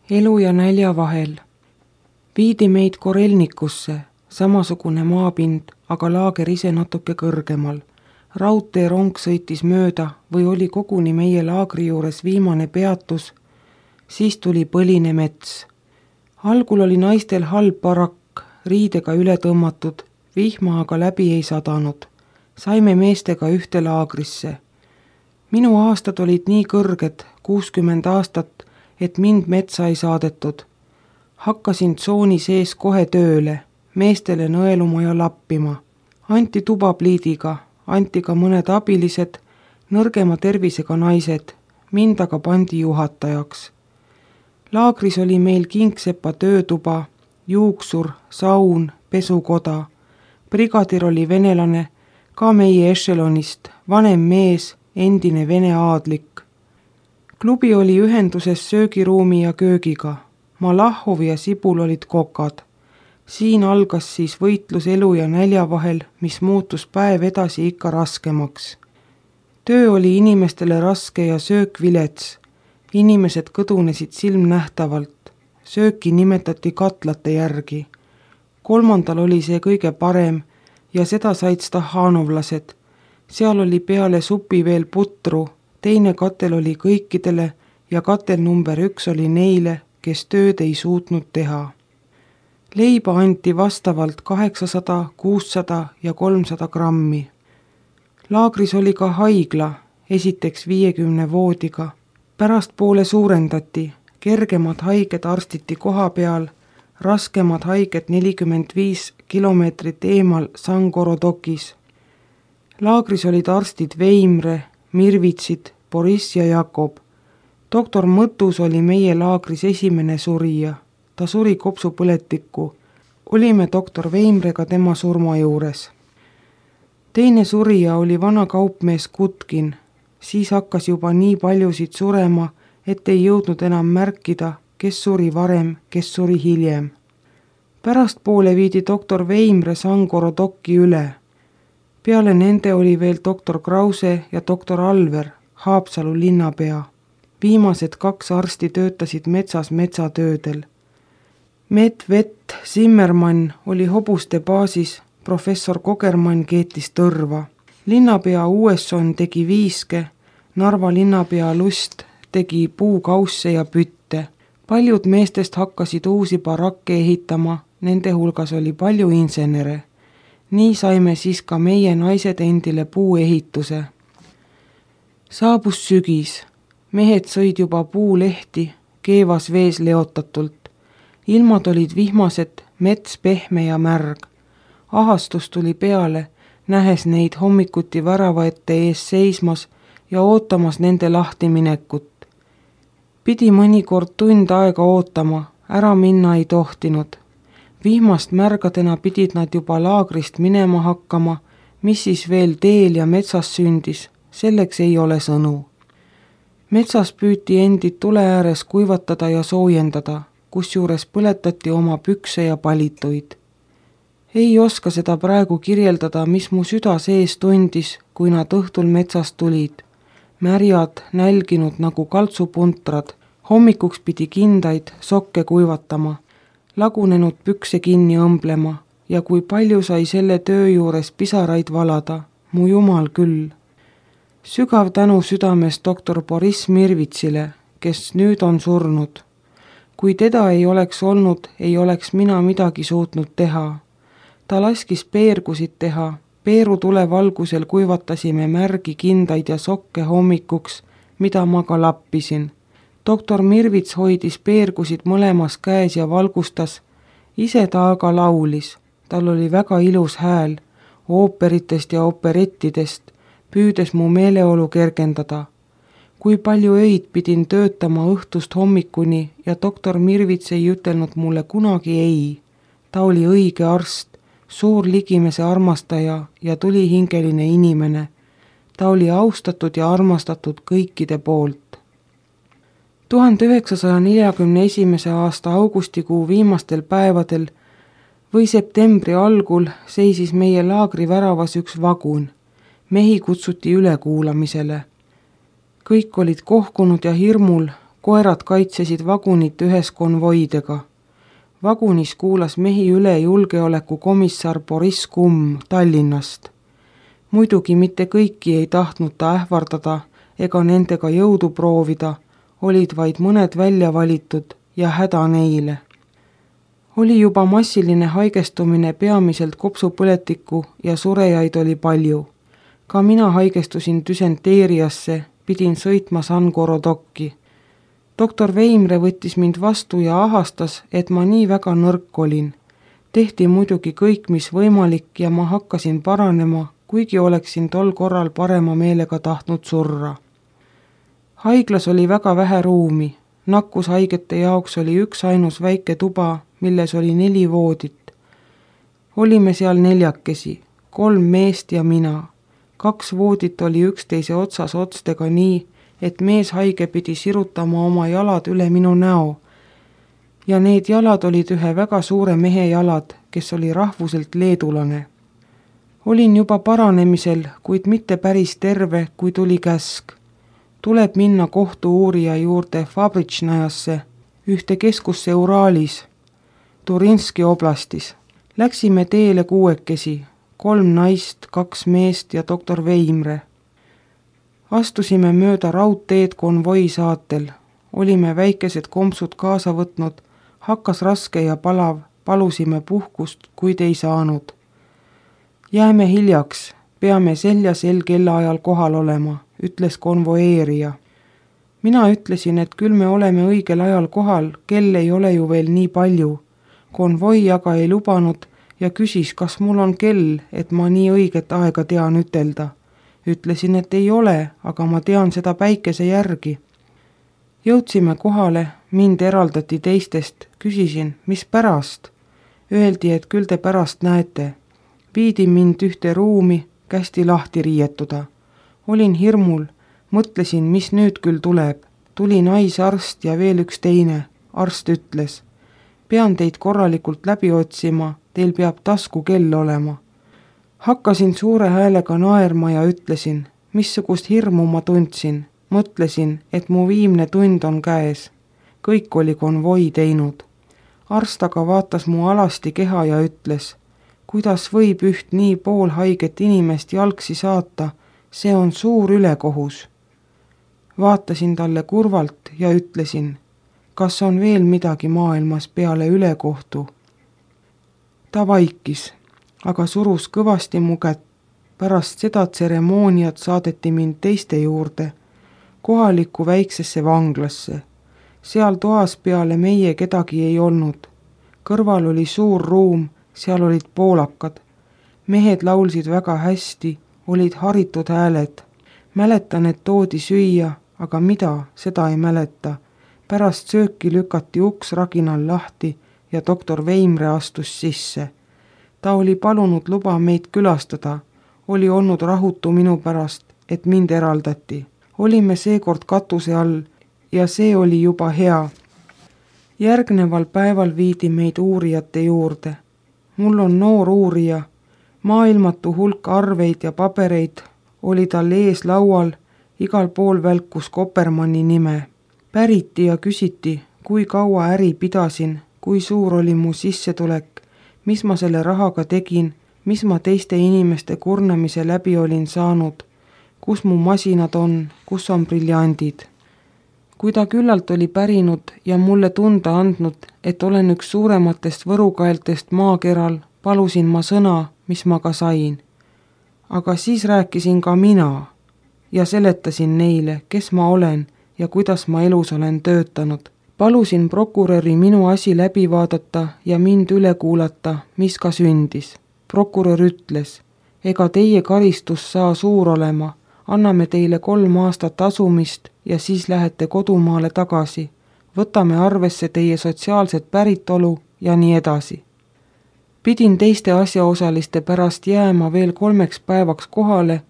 elu ja nälja vahel. Viidi meid Korelnikusse, samasugune maapind, aga laager ise natuke kõrgemal. Raudteerong sõitis mööda või oli koguni meie laagri juures viimane peatus, siis tuli põline mets. Algul oli naistel halb barakk, riidega üle tõmmatud, vihma aga läbi ei sadanud. Saime meestega ühte laagrisse. Minu aastad olid nii kõrged, 60 aastat, et mind metsa ei saadetud. Hakkasin tsooni sees kohe tööle, meestele nõeluma ja lappima. Anti tubapliidiga, anti ka mõned abilised, nõrgema tervisega naised, mind aga pandi juhatajaks. Laagris oli meil kingsepa töötuba, juuksur, saun, pesukoda. Brigadir oli venelane, ka meie ešelonist, vanem mees, endine vene aadlik. Klubi oli ühenduses söögiruumi ja köögiga. Malahhov ja Sibul olid kokad. Siin algas siis võitlus elu ja nälja vahel, mis muutus päev edasi ikka raskemaks. Töö oli inimestele raske ja söök vilets. Inimesed kõdunesid silmnähtavalt. Sööki nimetati katlate järgi. 3. oli see kõige parem ja seda said stahanovlased. Seal oli peale supi veel putru, teine katel oli kõikidele ja katel number 1 oli neile, kes tööd ei suutnud teha. Leiba anti vastavalt 800, 600 ja 300 grammi. Laagris oli ka haigla, esiteks 50 voodiga. Pärastpoole suurendati, kergemad haiged arstiti koha peal, raskemad haiged 45 kilomeetrit eemal Sangorodokis. Laagris olid arstid Veimre, Mirvitsid, Boriss ja Jakob. Doktor Mõttus oli meie laagris esimene surija. Ta suri kopsupõletikku. Olime doktor Veimrega tema surma juures. Teine surija oli vana kaupmees Kutkin. Siis hakkas juba nii paljusid surema, et ei jõudnud enam märkida, kes suri varem, kes suri hiljem. Pärastpoole viidi doktor Veimre Sangorodokki üle. Peale nende oli veel doktor Krause ja doktor Alver, Haapsalu linnapea. Viimased 2 arsti töötasid metsas metsatöödel. Medvett Zimmermann oli hobuste baasis, professor Kogermann keetis tõrva. Linnapea Uesson tegi viiske, Narva linnapea Lust tegi puukausse ja pütte. Paljud meestest hakkasid uusi barakke ehitama, nende hulgas oli palju insenere. Nii saime siis ka meie naised endile puuehituse. Saabus sügis. Mehed sõid juba puulehti, keevas vees leotatult. Ilmad olid vihmased, mets pehme ja märg. Ahastus tuli peale, nähes neid hommikuti värava ette ees seismas ja ootamas nende lahtiminekut. Pidi mõnikord tund aega ootama, ära minna ei tohtinud. Vihmast märgadena pidid nad juba laagrist minema hakkama, mis siis veel teel ja metsas sündis, selleks ei ole sõnu. Metsas püüti endid tule ääres kuivatada ja soojendada, kusjuures põletati oma pükse ja palituid. Ei oska seda praegu kirjeldada, mis mu süda sees tundis, kui nad õhtul metsast tulid. Märjad, nälginud nagu kaltsupuntrad, hommikuks pidi kindaid, sokke kuivatama, lagunenud pükse kinni õmblema ja kui palju sai selle töö juures pisaraid valada, mu jumal küll. Sügav tänu südames doktor Boriss Mirvitsile, kes nüüd on surnud. Kui teda ei oleks olnud, ei oleks mina midagi suutnud teha. Ta laskis peergusid teha, peerutule valgusel kuivatasime märgi kindaid ja sokke hommikuks, mida ma ka lappisin. Doktor Mirvits hoidis peergusid mõlemas käes ja valgustas, ise ta aga laulis. Tal oli väga ilus hääl, ooperitest ja operettidest, püüdes mu meeleolu kergendada. Kui palju öid pidin töötama õhtust hommikuni ja doktor Mirvits ei ütelnud mulle kunagi ei. Ta oli õige arst, suur ligimese armastaja ja tulihingeline inimene. Ta oli austatud ja armastatud kõikide poolt. 1941. aasta augustikuu viimastel päevadel või septembri algul seisis meie laagri väravas üks vagun. Mehi kutsuti ülekuulamisele. Kõik olid kohkunud ja hirmul, koerad kaitsesid vagunit ühes konvoidega. Vagunis kuulas mehi üle julgeolekukomissar Boriss Kumm Tallinnast. Muidugi mitte kõiki ei tahtnud ta ähvardada ega nendega jõudu proovida, olid vaid mõned välja valitud ja häda neile. Oli juba massiline haigestumine peamiselt kopsupõletiku ja surejaid oli palju. Ka mina haigestusin düsenteeriasse, pidin sõitma Sangorodokki. Doktor Veimre võttis mind vastu ja ahastas, et ma nii väga nõrk olin. Tehti muidugi kõik, mis võimalik ja ma hakkasin paranema, kuigi oleksin tol korral parema meelega tahtnud surra. Haiglas oli väga vähe ruumi. Nakkushaigete jaoks oli üksainus väike tuba, milles oli 4 voodit. Olime seal 4, 3 meest ja mina. 2 voodit oli üksteise otsas otstega nii, et meeshaige pidi sirutama oma jalad üle minu näo. Ja need jalad olid ühe väga suure mehe jalad, kes oli rahvuselt leedulane. Olin juba paranemisel, kuid mitte päris terve, kui tuli käsk. Tuleb minna kohtu-uurija juurde Fabritšnajasse, ühte keskusse Uraalis, Turinski oblastis. Läksime teele 6, 3 naist, 2 meest ja doktor Veimre. Astusime mööda raudteed konvoi saatel. Olime väikesed kompsud kaasa võtnud, hakkas raske ja palav, palusime puhkust, kuid ei saanud. Jääme hiljaks, peame selja sel kellaajal kohal olema, ütles konvoeerija. Mina ütlesin, et küll me oleme õigel ajal kohal, kell ei ole ju veel nii palju. Konvoi aga ei lubanud ja küsis, kas mul on kell, et ma nii õiget aega tean ütelda. Ütlesin, et ei ole, aga ma tean seda päikese järgi. Jõudsime kohale, mind eraldati teistest, küsisin, mis pärast? Öeldi, et küll te pärast näete. Viidi mind ühte ruumi, kästi lahti riietuda. Olin hirmul, mõtlesin, mis nüüd küll tuleb. Tuli naisarst ja veel üks teine. Arst ütles, pean teid korralikult läbi otsima, teil peab taskukell olema. Hakkasin suure häälega naerma ja ütlesin, missugust hirmu ma tundsin. Mõtlesin, et mu viimne tund on käes. Kõik oli konvoi teinud. Arst aga vaatas mu alasti keha ja ütles, kuidas võib üht nii poolhaiget inimest jalgsi saata, see on suur ülekohus. Vaatasin talle kurvalt ja ütlesin, kas on veel midagi maailmas peale ülekohtu. Ta vaikis, aga surus kõvasti mu kätt. Pärast seda tseremooniat saadeti mind teiste juurde, kohalikku väiksesse vanglasse. Seal toas peale meie kedagi ei olnud. Kõrval oli suur ruum, seal olid poolakad. Mehed laulsid väga hästi, olid haritud hääled. Mäletan, et toodi süüa, aga mida, seda ei mäleta. Pärast sööki lükati uks raginal lahti ja doktor Veimre astus sisse. Ta oli palunud luba meid külastada, oli olnud rahutu minu pärast, et mind eraldati. Olime seekord katuse all ja see oli juba hea. Järgneval päeval viidi meid uurijate juurde. Mul on noor uurija, maailmatu hulk arveid ja pabereid oli tal ees laual, igal pool välkus Kopermanni nime. Päriti ja küsiti, kui kaua äri pidasin, kui suur oli mu sissetulek, mis ma selle rahaga tegin, mis ma teiste inimeste kurnamise läbi olin saanud, kus mu masinad on, kus on briljandid. Kui ta küllalt oli pärinud ja mulle tunda andnud, et olen üks suurematest võrukaeltest maakeral, palusin ma sõna, mis ma ka sain. Aga siis rääkisin ka mina ja seletasin neile, kes ma olen ja kuidas ma elus olen töötanud. Palusin prokuröri minu asi läbi vaadata ja mind üle kuulata, mis ka sündis. Prokurör ütles, ega teie karistus saa suur olema, anname teile 3 aastat asumist ja siis lähete kodumaale tagasi. Võtame arvesse teie sotsiaalset päritolu ja nii edasi. Pidin teiste asjaosaliste pärast jääma veel 3 päevaks kohale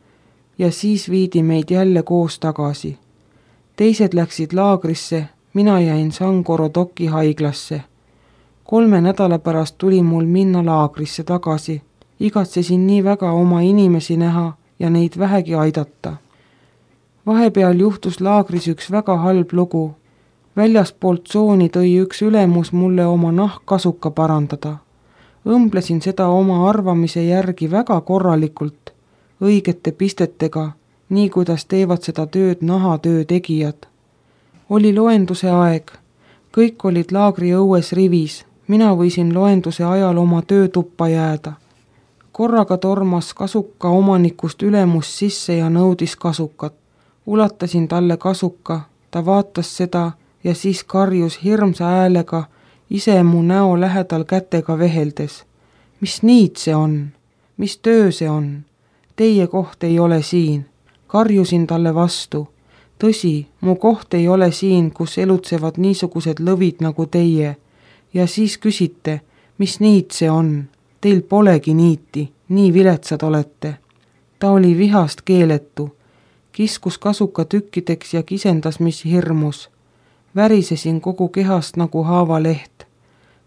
ja siis viidi meid jälle koos tagasi. Teised läksid laagrisse, mina jäin Sangorodoki haiglasse. 3 nädala pärast tuli mul minna laagrisse tagasi. Igatsesin nii väga oma inimesi näha ja neid vähegi aidata. Vahepeal juhtus laagris üks väga halb lugu. Väljaspoolt tsooni tõi üks ülemus mulle oma nahkkasuka parandada. Õmblesin seda oma arvamise järgi väga korralikult, õigete pistetega, nii kuidas teevad seda tööd nahatöö tegijad. Oli loenduse aeg, kõik olid laagri õues rivis, mina võisin loenduse ajal oma töötuppa jääda. Korraga tormas kasuka omanikust ülemus sisse ja nõudis kasukat. Ulatasin talle kasuka, ta vaatas seda ja siis karjus hirmsa häälega, ise mu näo lähedal kätega veheldes. Mis niid see on? Mis töö see on? Teie koht ei ole siin. Karjusin talle vastu. Tõsi, mu koht ei ole siin, kus elutsevad niisugused lõvid nagu teie. Ja siis küsite, mis niit see on? Teil polegi niiti, nii viletsad olete. Ta oli vihast keeletu. Kiskus kasuka tükkideks ja kisendas, mis hirmus. Värisesin kogu kehast nagu haavaleht.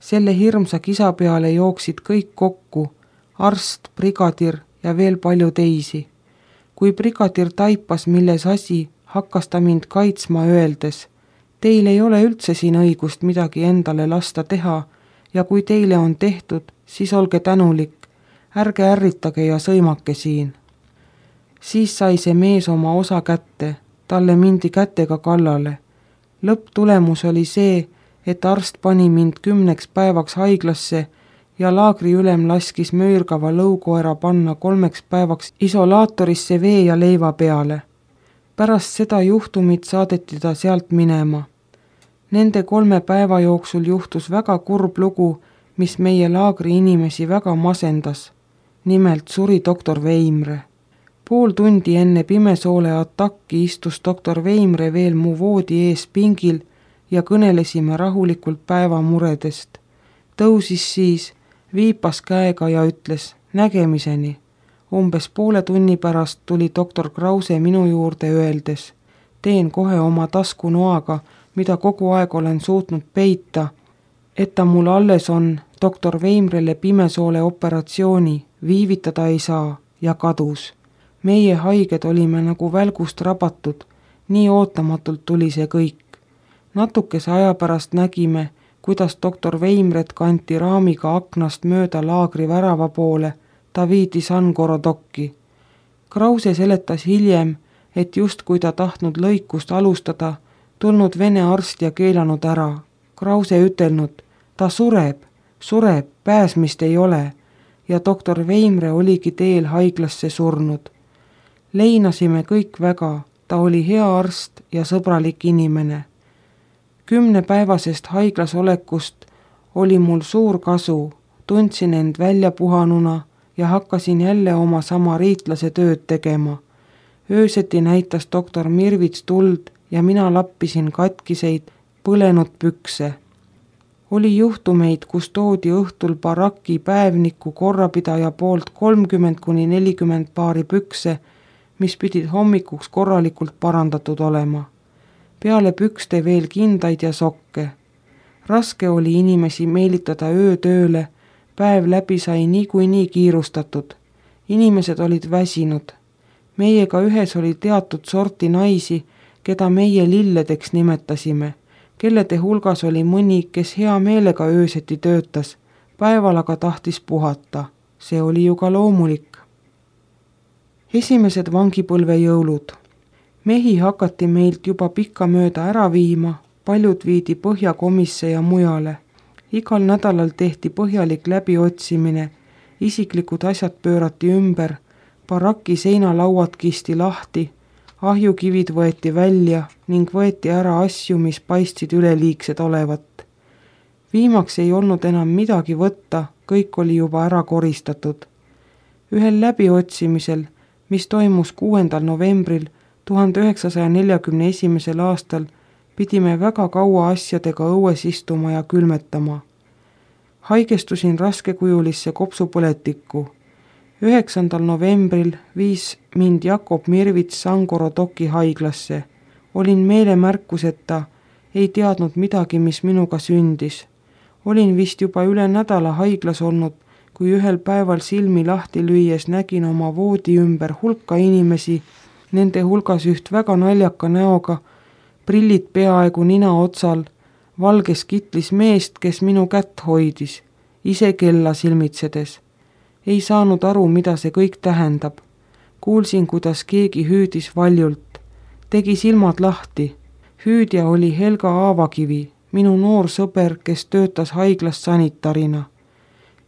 Selle hirmsa kisa peale jooksid kõik kokku, arst, brigadir ja veel palju teisi. Kui brigadir taipas, milles asi, hakkas ta mind kaitsma öeldes, teil ei ole üldse siin õigust midagi endale lasta teha ja kui teile on tehtud, siis olge tänulik, ärge ärritage ja sõimake siin. Siis sai see mees oma osa kätte, talle mindi kätega kallale. Lõpptulemus oli see, et arst pani mind 10 päevaks haiglasse ja laagriülem laskis möörgava lõukoera panna 3 päevaks isolaatorisse vee ja leiva peale. Pärast seda juhtumit saadeti ta sealt minema. Nende 3 päeva jooksul juhtus väga kurb lugu, mis meie laagri inimesi väga masendas. Nimelt suri doktor Veimre. Pool tundi enne Pimesoole atakki istus doktor Veimre veel mu voodi ees pingil ja kõnelesime rahulikult päeva muredest. Tõusis siis, viipas käega ja ütles nägemiseni. Umbes poole tunni pärast tuli doktor Krause minu juurde öeldes, teen kohe oma taskunoaga, mida kogu aeg olen suutnud peita, et ta mul alles on doktor Veimrele Pimesoole operatsiooni, viivitada ei saa ja kadus. Meie haiged olime nagu välgust rabatud, nii ootamatult tuli see kõik. Natukese aja pärast nägime, kuidas doktor Veimret kanti raamiga aknast mööda laagri värava poole, ta viidi San Gorodokki. Krause seletas hiljem, et just kui ta tahtnud lõikust alustada, tulnud vene arst ja keelanud ära. Krause ütelnud, ta sureb, pääsmist ei ole ja doktor Veimre oligi teel haiglasse surnud. Leinasime kõik väga, ta oli hea arst ja sõbralik inimene. 10-päevasest haiglas olekust oli mul suur kasu, tundsin end välja puhanuna ja hakkasin jälle oma samariitlase tööd tegema. Ööseti näitas doktor Mirvits tuld ja mina lappisin katkiseid, põlenud pükse. Oli juhtumeid, kus toodi õhtul baraki päevniku korrapidaja poolt 30–40 paari pükse, mis pidid hommikuks korralikult parandatud olema. Peale pükste veel kindaid ja sokke. Raske oli inimesi meelitada öötööle, päev läbi sai niikuinii kiirustatud. Inimesed olid väsinud. Meiega ühes oli teatud sorti naisi, keda meie lilledeks nimetasime, kellede hulgas oli mõni, kes hea meelega ööseti töötas, päeval aga tahtis puhata. See oli ju ka loomulik. Esimesed vangipõlve jõulud. Mehi hakati meilt juba pikka mööda ära viima, paljud viidi Põhjakomisse ja mujale. Igal nädalal tehti põhjalik läbiotsimine, isiklikud asjad pöörati ümber, baraki seinalauad kisti lahti, ahjukivid võeti välja ning võeti ära asju, mis paistsid üleliigsed olevat. Viimaks ei olnud enam midagi võtta, kõik oli juba ära koristatud. Ühel läbiotsimisel, mis toimus 6. novembril 1941. aastal, pidime väga kaua asjadega õues istuma ja külmetama. Haigestusin raskekujulisse kopsupõletikku. 9. novembril viis mind Jakob Mirvits San Gorodoki haiglasse. Olin meelemärkuseta, ei teadnud midagi, mis minuga sündis. Olin vist juba üle nädala haiglas olnud, kui ühel päeval silmi lahti lüües nägin oma voodi ümber hulka inimesi, nende hulgas üht väga naljaka näoga, prillid peaaegu nina otsal, valges kitlis meest, kes minu kätt hoidis, ise kella silmitsedes. Ei saanud aru, mida see kõik tähendab. Kuulsin, kuidas keegi hüüdis valjult. Tegi silmad lahti. Hüüdja oli Helga Aavakivi, minu noor sõber, kes töötas haiglas sanitarina.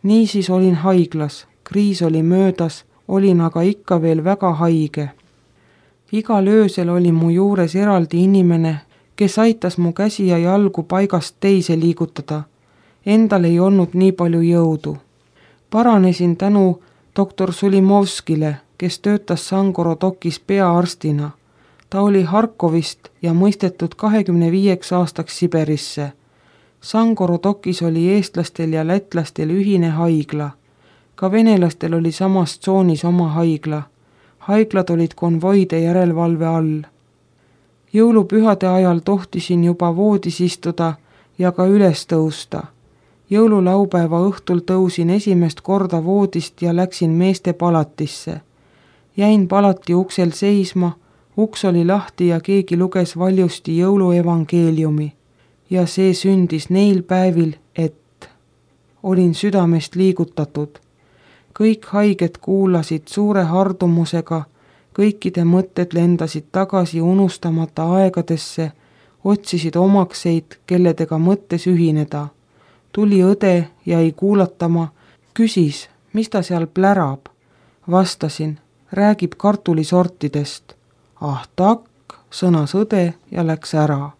Niisiis olin haiglas, kriis oli möödas, olin aga ikka veel väga haige. Igal öösel oli mu juures eraldi inimene, kes aitas mu käsi ja jalgu paigast teise liigutada. Endal ei olnud nii palju jõudu. Paranesin tänu doktor Sulimovskile, kes töötas Sangorodokis peaarstina. Ta oli Harkovist ja mõistetud 25 aastaks Siberisse. Sangorodokis oli eestlastel ja lätlastel ühine haigla. Ka venelastel oli samas tsoonis oma haigla. Haiglad olid konvoide järelevalve all. Jõulupühade ajal tohtisin juba voodis istuda ja ka üles tõusta. Jõululaupäeva õhtul tõusin esimest korda voodist ja läksin meeste palatisse. Jäin palati uksel seisma, uks oli lahti ja keegi luges valjusti jõuluevangeeliumi. Ja see sündis neil päevil, et olin südamest liigutatud. Kõik haiged kuulasid suure hardumusega, kõikide mõtted lendasid tagasi unustamata aegadesse, otsisid omakseid, kelledega mõttes ühineda. Tuli õde, jäi kuulatama, küsis, mis ta seal plärab. Vastasin, räägib kartulisortidest. Ah takk, sõnas õde ja läks ära.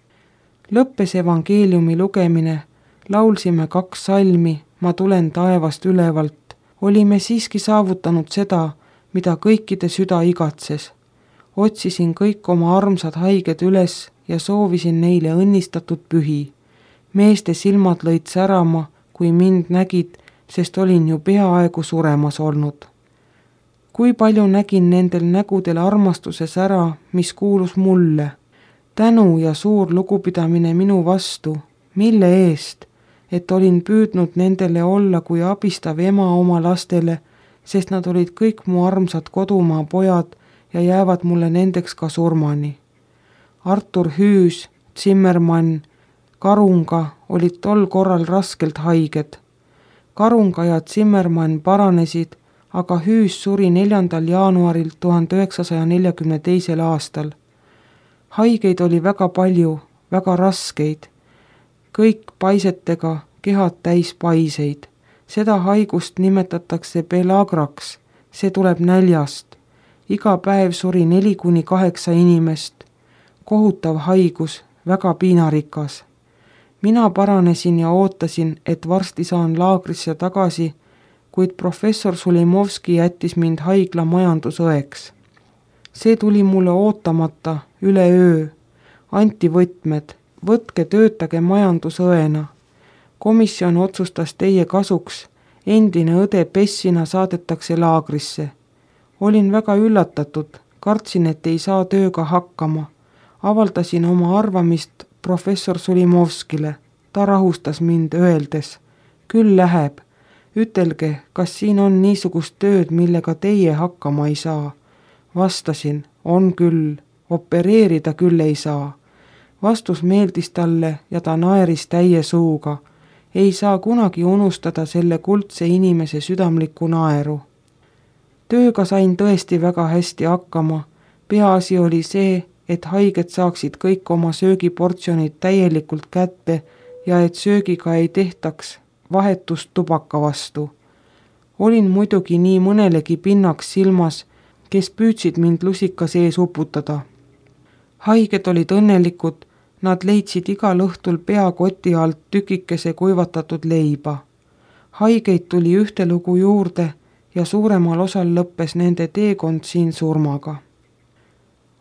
Lõppes evangeeliumi lugemine, laulsime 2 salmi, ma tulen taevast ülevalt. Olime siiski saavutanud seda, mida kõikide süda igatses. Otsisin kõik oma armsad haiged üles ja soovisin neile õnnistatud pühi. Meeste silmad lõid särama, kui mind nägid, sest olin ju peaaegu suremas olnud. Kui palju nägin nendel nägudel armastuse sära, mis kuulus mulle. Tänu ja suur lugupidamine minu vastu, mille eest, et olin püüdnud nendele olla kui abistav ema oma lastele, sest nad olid kõik mu armsad kodumaa pojad ja jäävad mulle nendeks ka surmani. Artur Hüüs, Zimmermann, Karunga olid tol korral raskelt haiged. Karunga ja Zimmermann paranesid, aga Hüüs suri 4. jaanuaril 1942. aastal. Haigeid oli väga palju, väga raskeid. Kõik paisetega, kehad täis paiseid. Seda haigust nimetatakse pelagraks, see tuleb näljast. Iga päev suri 4-8 inimest. Kohutav haigus, väga piinarikas. Mina paranesin ja ootasin, et varsti saan laagrisse tagasi, kuid professor Sulimovski jättis mind haigla majandusõeks. See tuli mulle ootamata, üleöö. Anti võtmed, võtke töötage majandusõena. Komisjon otsustas teie kasuks, endine õde Pessina saadetakse laagrisse. Olin väga üllatatud, kartsin, et ei saa tööga hakkama. Avaldasin oma arvamist professor Sulimovskile. Ta rahustas mind öeldes, küll läheb. Ütelge, kas siin on niisugust tööd, millega teie hakkama ei saa. Vastasin, on küll, opereerida küll ei saa. Vastus meeldis talle ja ta naeris täie suuga. Ei saa kunagi unustada selle kuldse inimese südamlikku naeru. Tööga sain tõesti väga hästi hakkama. Peaasi oli see, et haiged saaksid kõik oma söögiportsjonid täielikult kätte ja et söögiga ei tehtaks vahetust tubaka vastu. Olin muidugi nii mõnelegi pinnaks silmas, kes püüdsid mind lusika sees uputada. Haiged olid õnnelikud, nad leidsid igal õhtul peakoti alt tükikese kuivatatud leiba. Haigeid tuli ühtelugu juurde ja suuremal osal lõppes nende teekond siin surmaga.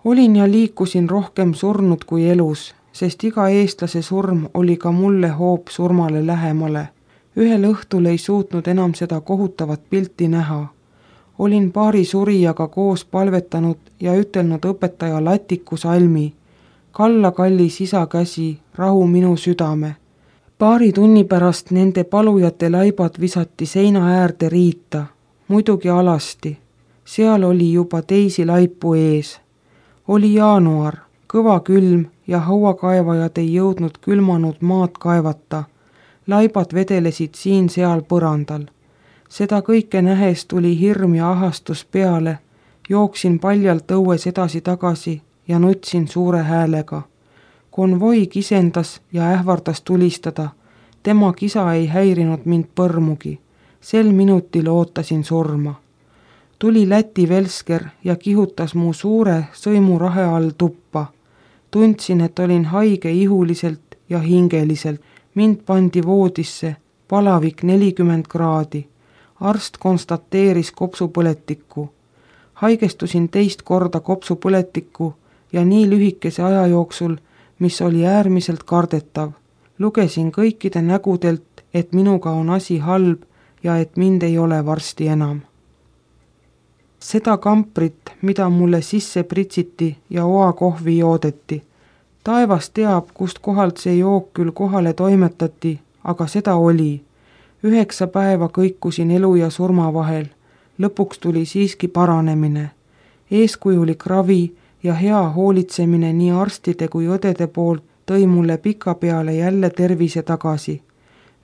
Olin ja liikusin rohkem surnud kui elus, sest iga eestlase surm oli ka mulle hoop surmale lähemale. Ühel õhtul ei suutnud enam seda kohutavat pilti näha. Olin paari surijaga koos palvetanud ja ütelnud õpetaja Latiku salmi. Kalla kallis isa käsi, rahu minu südame. Paari tunni pärast nende palujate laibad visati seina äärde riita, muidugi alasti. Seal oli juba teisi laipu ees. Oli jaanuar, kõva külm ja hauakaevajad ei jõudnud külmanud maad kaevata. Laibad vedelesid siin-seal põrandal. Seda kõike nähes tuli hirm ja ahastus peale. Jooksin paljalt õues edasi-tagasi ja nutsin suure häälega. Konvoi kisendas ja ähvardas tulistada. Tema kisa ei häirinud mind põrmugi. Sel minutil ootasin surma. Tuli Läti velsker ja kihutas mu suure sõimurahe all tuppa. Tundsin, et olin haige ihuliselt ja hingeliselt. Mind pandi voodisse, palavik 40 kraadi. Arst konstateeris kopsupõletikku. Haigestusin teist korda kopsupõletikku ja nii lühikese aja jooksul, mis oli äärmiselt kardetav. Lugesin kõikide nägudelt, et minuga on asi halb ja et mind ei ole varsti enam. Seda kamprit, mida mulle sisse pritsiti ja oakohvi joodeti. Taevas teab, kust kohalt see jook küll kohale toimetati, aga seda oli. 9 päeva kõikusin elu ja surma vahel. Lõpuks tuli siiski paranemine. Eeskujulik ravi ja hea hoolitsemine nii arstide kui õdede poolt tõi mulle pikapeale jälle tervise tagasi.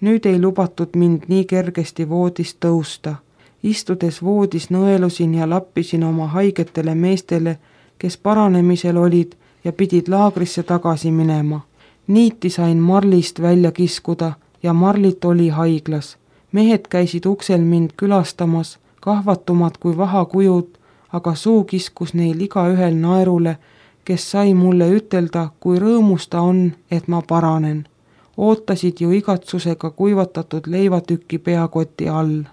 Nüüd ei lubatud mind nii kergesti voodist tõusta. Istudes voodis nõelusin ja lappisin oma haigetele meestele, kes paranemisel olid ja pidid laagrisse tagasi minema. Niiti sain marlist välja kiskuda ja marlit oli haiglas. Mehed käisid uksel mind külastamas, kahvatumad kui vahakujud, aga suu kiskus neil igaühel naerule, kes sai mulle ütelda, kui rõõmus ta on, et ma paranen. Ootasid ju igatsusega kuivatatud leivatükki peakoti all.